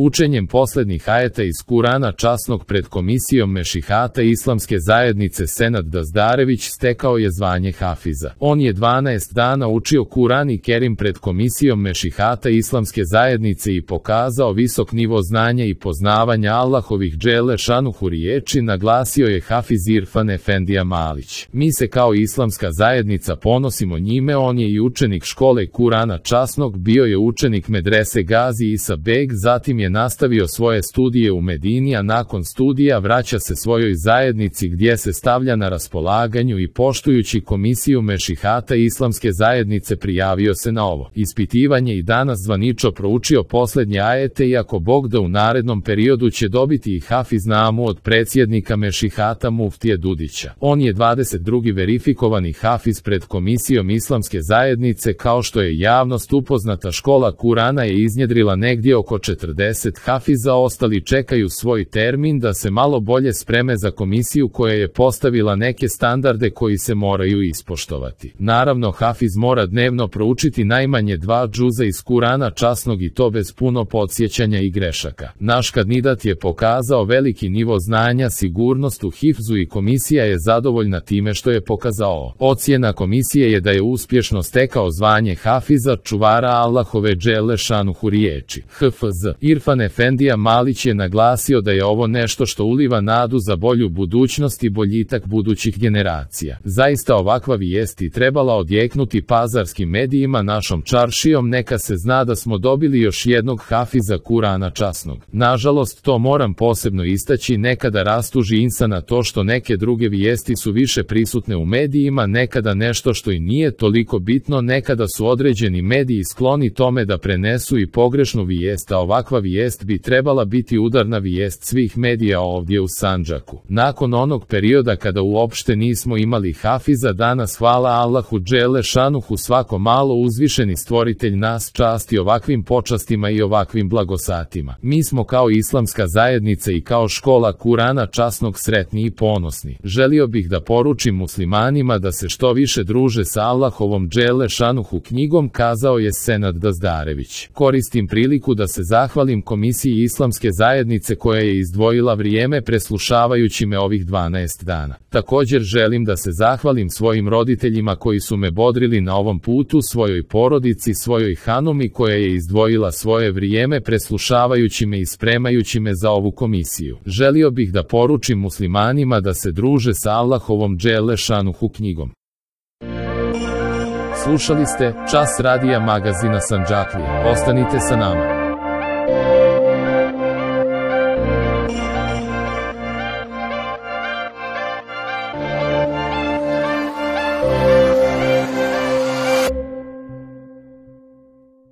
Učenjem posljednjih ajeta iz Kurana časnog pred komisijom Mešihata Islamske zajednice Senad Dazdarević stekao je zvanje hafiza. On je 12 dana učio Kuran i Kerim pred komisijom Mešihata Islamske zajednice i pokazao visok nivo znanja i poznavanja Allahovih dželle šanuhu riječi, naglasio je hafiz Irfan Efendija Malić. Mi se kao Islamska zajednica ponosimo njime, on je i učenik škole Kurana časnog, bio je učenik medrese Gazi Isa Beg, zatim je nastavio svoje studije u Medini, a nakon studija vraća se svojoj zajednici gdje se stavlja na raspolaganju i poštujući komisiju Mešihata Islamske zajednice prijavio se na ovo ispitivanje i danas zvanično proučio posljednje ajete, iako Bog da u narednom periodu će dobiti i hafiz namu od predsjednika Mešihata Muftije Dudića. On je 22. verifikovani hafiz pred komisijom Islamske zajednice. Kao što je javnost upoznata, škola Kurana je iznjedrila negdje oko 40 hafiza, ostali čekaju svoj termin da se malo bolje spreme za komisiju koja je postavila neke standarde koji se moraju ispoštovati. Naravno, hafiz mora dnevno proučiti najmanje 2 džuza iz Kurana časnog i to bez puno podsjećanja i grešaka. Naš kandidat je pokazao veliki nivo znanja, sigurnost u hifzu i komisija je zadovoljna time što je pokazao. Ocjena komisije je da je uspješno stekao zvanje hafiza, čuvara Allahove dželle šanuhu riječi. HFZ Irfan Efendija Malić je naglasio da je ovo nešto što uliva nadu za bolju budućnost i boljitak budućih generacija. Zaista ovakva vijest i trebala odjeknuti pazarskim medijima našom čaršijom, neka se zna da smo dobili još jednog hafiza Kurana časnog. Nažalost, to moram posebno istaći, nekada rastuži insana to što neke druge vijesti su više prisutne u medijima, nekada nešto što i nije toliko bitno, nekada su određeni mediji skloni tome da prenesu i pogrešnu vijest, a ovakva vijest bi trebala biti udarna vijest svih medija ovdje u Sandžaku. Nakon onog perioda kada uopšte nismo imali hafiza, danas hvala Allahu dželle šanuhu svako malo uzvišeni stvoritelj nas časti ovakvim počastima i ovakvim blagosatima. Mi smo kao Islamska zajednica i kao škola Kurana časnog sretni i ponosni. Želio bih da poručim muslimanima da se što više druže sa Allahovom dželle šanuhu knjigom, kazao je Senad Dazdarević. Koristim priliku da se zahvalim komisiji Islamske zajednice koja je izdvojila vrijeme preslušavajući me ovih 12 dana. Također želim da se zahvalim svojim roditeljima koji su me bodrili na ovom putu, svojoj porodici, svojoj hanumi koja je izdvojila svoje vrijeme preslušavajući me i spremajući me za ovu komisiju. Želio bih da poručim muslimanima da se druže sa Allahovom dželle šanuhu knjigom. Slušali ste Čas radija magazina Sandžaklije. Ostanite sa nama.